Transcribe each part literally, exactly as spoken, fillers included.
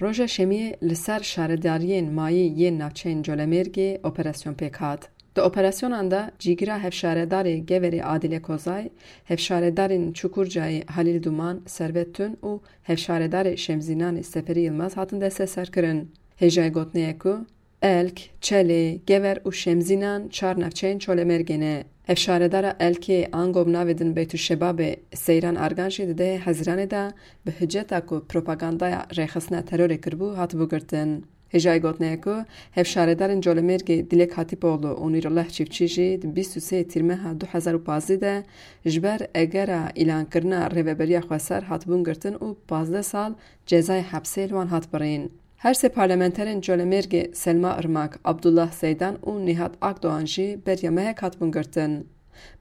Roja Şemiyê li ser şaredariyên mayî yên navçeyên Colemêrgê operasyon pêk hat. Di operasyonan de cîgira hevşaredarê Geverê Adîle Kozay, hevşaredarên Çukurcayê Halîl Duman, Servet Tun û hevşaredarê Şemzînanê Seferî Yilmaz hatin desteserkirin. Hêjayê gotinê ye ku Elk, Çelê, Gever û Şemzînan çar navçeyên Colemêrgê ne. Hevşaredara Elkê, ango bi navê din Beytuşebabê, Seyran Argan jî di dehê Hezîranê de bi hiceta ku propagandaya rêxistina terorê kiribû, hatibû girtin. Hêjayê gotinê ye ku hevşaredarên Colemêrgê Dilek Hatîpoğlu û Nûrullah Çiftçî jî di bîst û sê Tîrmeha du hezar û pazdeh de ji ber egera îlankirina Rêveberiya Xweser hatibûn girtin û pazdeh sal cezayê hepsê li wan hat birîn. Her sê parlamenterên Colemêrgê Selma Irmak, Abdullah Zeydan û Nihat Akdoğan jî beriya mehek hatibûn girtin.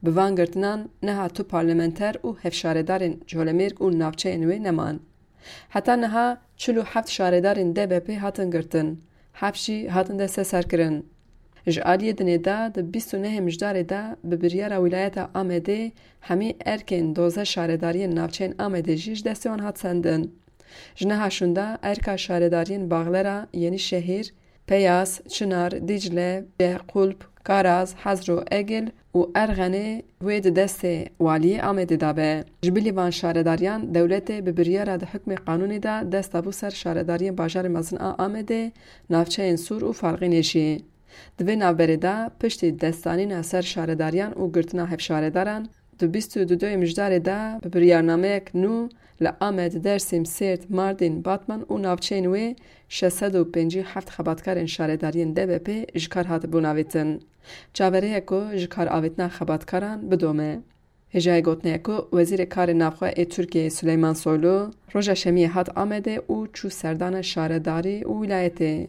Bi van girtinan niha tu parlamenter û hevşaredarên Colemêrg û navçeyên wê neman. Heta niha çil û heft şaredarên D B P hatin girtin, heft jî hatin desteserkirin. Ji aliyê dinê de di bîst û nehê Mijdarê de bi biryara Wîlayeta Amedê hemî erkên dozdeh şaredariyên navçeyên Amedê jî ji destê wan hat sendin. Ji niha şûnda erka şaredariyên Baxlera, Yenîşehîr, Peyas, Çinar, Dîcle, Qulp, Karaz, Hezro, Egil û Erxenê wê di destê waliyê Amedê de be. Ji bilî van şaredariyan dewletê bi biryara di hukmê qanûnê de dest dabû ser şaredariyên bajarê mezin a Amedê, navçeyên Sûr û Farqînê jî. Di vê navberê de piştî destdanîna ser şaredariyan û girtina hevşaredaran, di bîst û duyê Mijdarê de bi biryarnameyek nû li Amed, Dersîm, Sêrt, Mardîn, Batman û navçeyên wê şeş sed û pêncî û heft xebatkarên şaredariyên D B P ji kar hatibûn avêtin. Çaverê ye ku ji kar avêtina xebatkaran bidome. Hêjayê gotinê ye ku Wezîrê Karê Navxwe ê Tirkiyeyê Suleyman Soylu roja Şemiyê hat Amedê û çû serdana şaredarî û wîlayetê.